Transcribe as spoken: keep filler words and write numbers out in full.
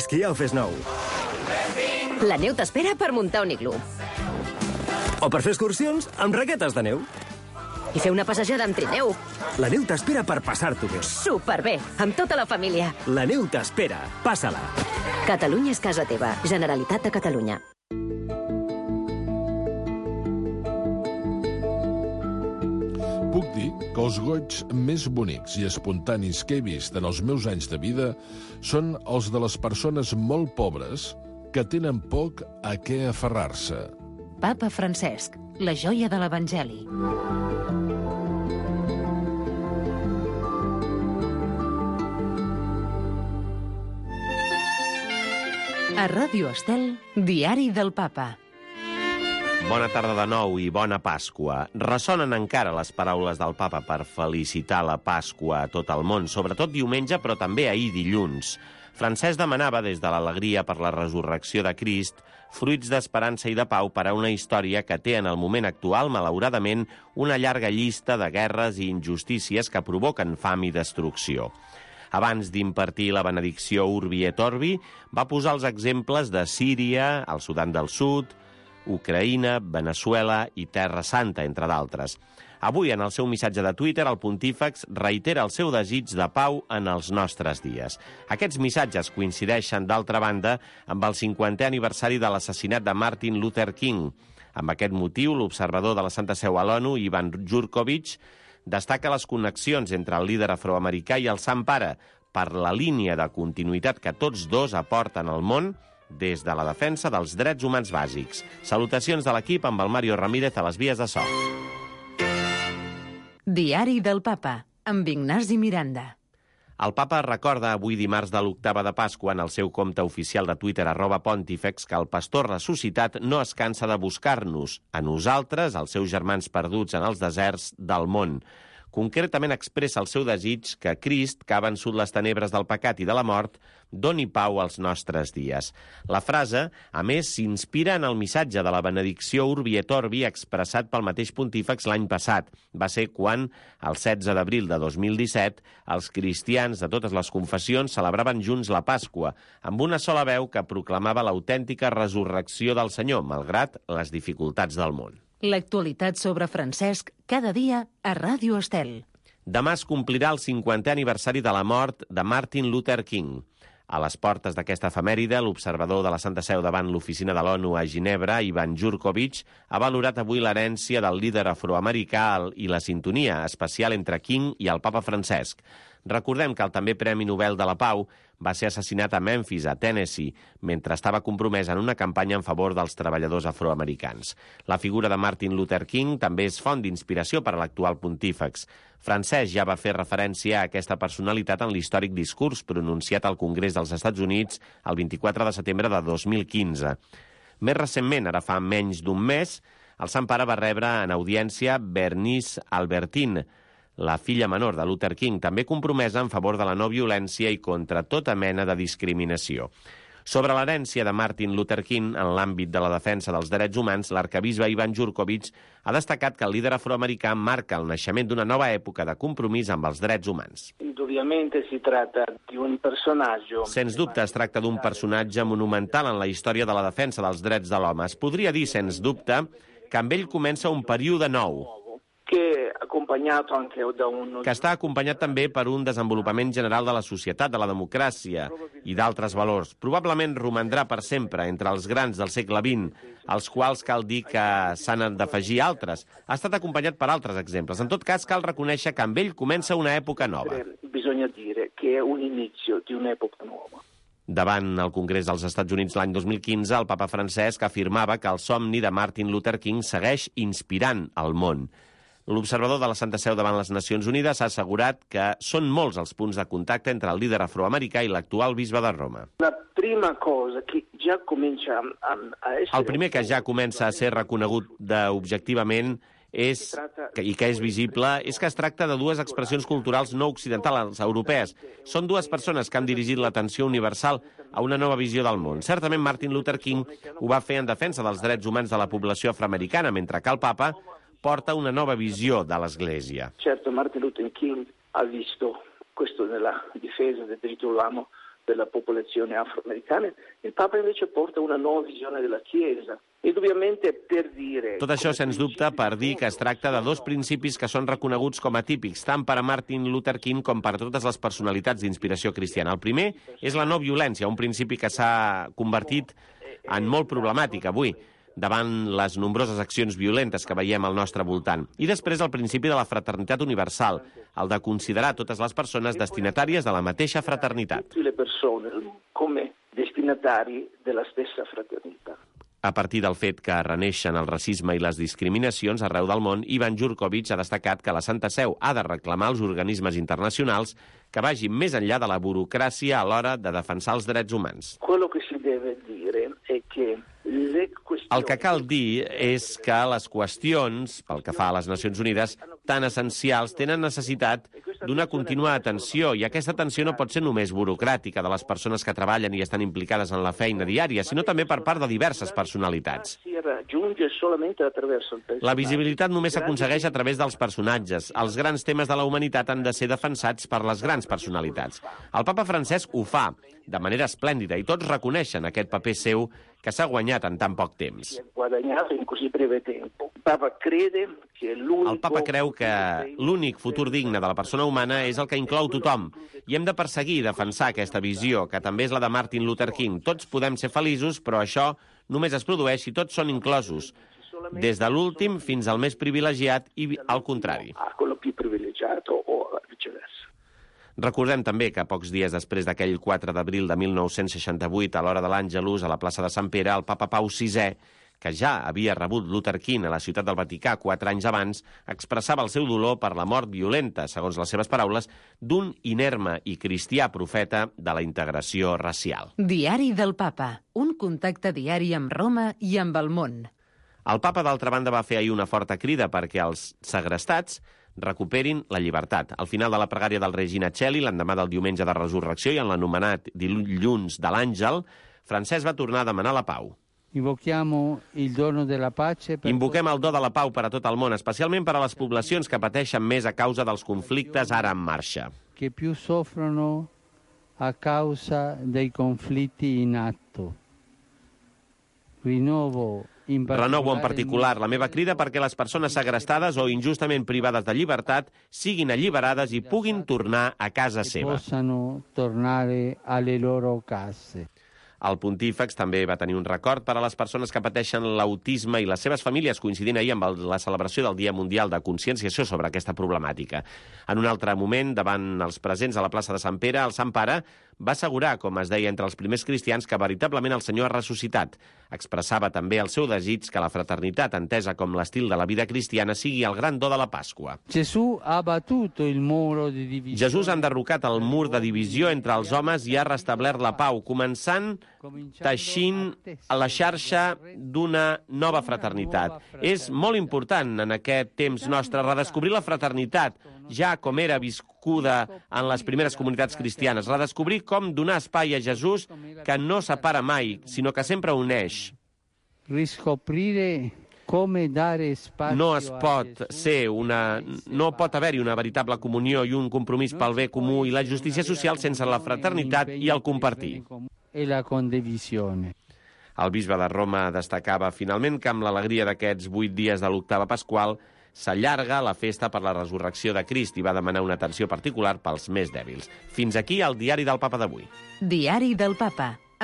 esquí al Fes Nou. La neu t'espera per muntar un iglú. O per fer excursions amb raquetes de neu. I fer una passejada amb trineu. La neu t'espera per passar-t'ho bé. Superbé, amb tota la família. La neu t'espera. Passa-la. Catalunya és casa teva. Generalitat de Catalunya. Puc dir que els goigs més bonics i espontanis que he vist en els meus anys de vida són els de les persones molt pobres que tenen poc a què aferrar-se. Papa Francesc, la joia de l'Evangeli. A Ràdio Estel, Diari del Papa. Bona tarda de nou i bona Pasqua. Ressonen encara les paraules del papa per felicitar la Pasqua a tot el món, sobretot diumenge, però també ahir dilluns. Francesc demanava, des de l'alegria per la resurrecció de Crist, fruits d'esperança i de pau per a una història que té en el moment actual, malauradament, una llarga llista de guerres i injustícies que provoquen fam i destrucció. Abans d'impartir la benedicció Urbi et Orbi, va posar els exemples de Síria, el Sudan del Sud, Ucraïna, Veneçuela i Terra Santa, entre d'altres. Avui, en el seu missatge de Twitter, el pontífex reitera el seu desig de pau en els nostres dies. Aquests missatges coincideixen, d'altra banda, amb el cinquantè aniversari de l'assassinat de Martin Luther King. Amb aquest motiu, l'observador de la Santa Seu a l'ONU, Ivan Jurkovic, destaca les connexions entre el líder afroamericà i el Sant Pare per la línia de continuïtat que tots dos aporten al món des de la defensa dels drets humans bàsics. Salutacions de l'equip amb el Mario Ramírez a les vies de so. Diari del Papa, amb Ignasi Miranda. El papa recorda avui dimarts de l'octava de Pasqua en el seu compte oficial de Twitter, arroba pontífex, que el pastor ressuscitat no es cansa de buscar-nos, a nosaltres, els seus germans perduts en els deserts del món. Concretament expressa el seu desig que Crist, que ha vençut les tenebres del pecat i de la mort, doni pau als nostres dies. La frase, a més, s'inspira en el missatge de la benedicció Urbi et Orbi expressat pel mateix pontífex l'any passat. Va ser quan, el setze d'abril de dos mil disset, els cristians de totes les confessions celebraven junts la Pasqua, amb una sola veu que proclamava l'autèntica resurrecció del Senyor, malgrat les dificultats del món. L'actualitat sobre Francesc, cada dia a Ràdio Estel. Demà es complirà el cinquantè aniversari de la mort de Martin Luther King. A les portes d'aquesta efemèride, l'observador de la Santa Seu davant l'oficina de l'ONU a Ginebra, Ivan Jurkovic, ha valorat avui l'herència del líder afroamericà i la sintonia especial entre King i el papa Francesc. Recordem que el també Premi Nobel de la Pau va ser assassinat a Memphis, a Tennessee, mentre estava compromès en una campanya en favor dels treballadors afroamericans. La figura de Martin Luther King també és font d'inspiració per a l'actual pontífex. Francesc ja va fer referència a aquesta personalitat en l'històric discurs pronunciat al Congrés dels Estats Units el vint-i-quatre de setembre de dos mil quinze. Més recentment, ara fa menys d'un mes, el Sant Pare va rebre en audiència Bernice Albertine, la filla menor de Luther King, també compromesa en favor de la no violència i contra tota mena de discriminació. Sobre l'herència de Martin Luther King en l'àmbit de la defensa dels drets humans, l'arquebisbe Ivan Jurkovic ha destacat que el líder afroamericà marca el naixement d'una nova època de compromís amb els drets humans. Si trata di un personaggio. Sens dubte es tracta d'un personatge monumental en la història de la defensa dels drets de l'home. Es podria dir, sens dubte, que amb ell comença un període nou, que, anche da un... que està acompanyat també per un desenvolupament general de la societat, de la democràcia i d'altres valors. Probablement romandrà per sempre entre els grans del segle vint, als quals cal dir que s'han d'afegir altres. Ha estat acompanyat per altres exemples. En tot cas, cal reconèixer que amb ell comença una època nova. Bisogna dire che è un inizio di un'epoca nuova. Davant el Congrés dels Estats Units l'any dos mil quinze, el papa Francesc afirmava que el somni de Martin Luther King segueix inspirant el món. L'observador de la Santa Seu davant les Nacions Unides ha assegurat que són molts els punts de contacte entre el líder afroamericà i l'actual bisbe de Roma. La prima cosa que ja comença a, a essere... El primer que ja comença a ser reconegut objectivament és, i que és visible, és que es tracta de dues expressions culturals no occidentals, europees. Són dues persones que han dirigit l'atenció universal a una nova visió del món. Certament Martin Luther King ho va fer en defensa dels drets humans de la població afroamericana, mentre que el papa porta una nova visió de l'Església. Certo, Martin Luther King ha visto questo nella difesa del diritto dell'uomo della popolazione afroamericana, il Papa invece porta una nuova visione della Chiesa. Indubbiamente per dire... Tot això, sens dubte, per dir que es tracta de dos principis que són reconeguts com a típics, tant per a Martin Luther King com per a totes les personalitats d'inspiració cristiana. El primer és la no violència, un principi que s'ha convertit en molt problemàtic avui, davant les nombroses accions violentes que veiem al nostre voltant. I després el principi de la fraternitat universal, el de considerar totes les persones destinatàries de la mateixa fraternitat. Tutte le persone come destinatari della stessa fraternità. A partir del fet que reneixen el racisme i les discriminacions arreu del món, Ivan Jurkovic ha destacat que la Santa Seu ha de reclamar als organismes internacionals que vagin més enllà de la burocràcia a l'hora de defensar els drets humans. Quello che si deve dire è che le questioni... El que cal dir és que les qüestions, pel que fa a les Nacions Unides, tan essencials, tenen necessitat d'una contínua atenció, i aquesta atenció no pot ser només burocràtica de les persones que treballen i estan implicades en la feina diària, sinó també per part de diverses personalitats. La visibilitat només s'aconsegueix a través dels personatges. Els grans temes de la humanitat han de ser defensats per les grans personalitats. El papa Francesc ho fa de manera esplèndida i tots reconeixen aquest paper seu que s'ha guanyat en tan poc temps. El papa creu que l'únic futur digne de la persona humana és el que inclou tothom, i hem de perseguir i defensar aquesta visió, que també és la de Martin Luther King. Tots podem ser feliços, però això només es produeix si tots són inclosos, des de l'últim fins al més privilegiat i al contrari. Recordem també que pocs dies després d'aquell quatre d'abril de mil nou-cents seixanta-vuit, a l'hora de l'Àngelus, a la plaça de Sant Pere, el papa Pau sisè, que ja havia rebut Luther King a la ciutat del Vaticà quatre anys abans, expressava el seu dolor per la mort violenta, segons les seves paraules, d'un inerme i cristià profeta de la integració racial. Diari del Papa, un contacte diari amb Roma i amb el món. El papa, d'altra banda, va fer ahir una forta crida perquè els segrestats recuperin la llibertat. Al final de la pregària del Regina Coeli, l'endemà del diumenge de Resurrecció i en l'anomenat dilluns de l'Àngel, Francesc va tornar a demanar la pau. Invoquem el do de la pau per a tot el món, especialment per a les poblacions que pateixen més a causa dels conflictes ara en marxa. Que più soffrono a causa dei conflitti in atto. Rinnovo Renovo en particular la meva crida perquè les persones segrestades o injustament privades de llibertat siguin alliberades i puguin tornar a casa seva. Possano tornare alle loro case. El pontífex també va tenir un record per a les persones que pateixen l'autisme i les seves famílies, coincidint ahir amb la celebració del Dia Mundial de Conscienciació sobre aquesta problemàtica. En un altre moment, davant els presents a la plaça de Sant Pere, el Sant Pare va assegurar, com es deia entre els primers cristians, que veritablement el Senyor ha ressuscitat. Expressava també el seu desig que la fraternitat, entesa com l'estil de la vida cristiana, sigui el gran do de la Pasqua. Jesús ha battuto il muro di divisione. Jesús ha enderrocat el mur de divisió entre els homes i ha restablert la pau, començant teixint la xarxa d'una nova fraternitat. És molt important en aquest temps nostre redescobrir la fraternitat, ja com era viscuda en les primeres comunitats cristianes, redescobrir com donar espai a Jesús que no separa mai, sinó que sempre uneix. Riscoprire come dare spazio. No es pot ser una... no pot haver-hi una veritable comunió i un compromís pel bé comú i la justícia social sense la fraternitat i el compartir. E la condivisione. El bisbe de Roma destacava finalment que amb l'alegria d'aquests vuit dies de l'octava pasqual s'allarga la festa per la resurrecció de Crist i va demanar una atenció particular pels més dèbils. Fins aquí el Diari del Papa d'avui. Diari del Papa.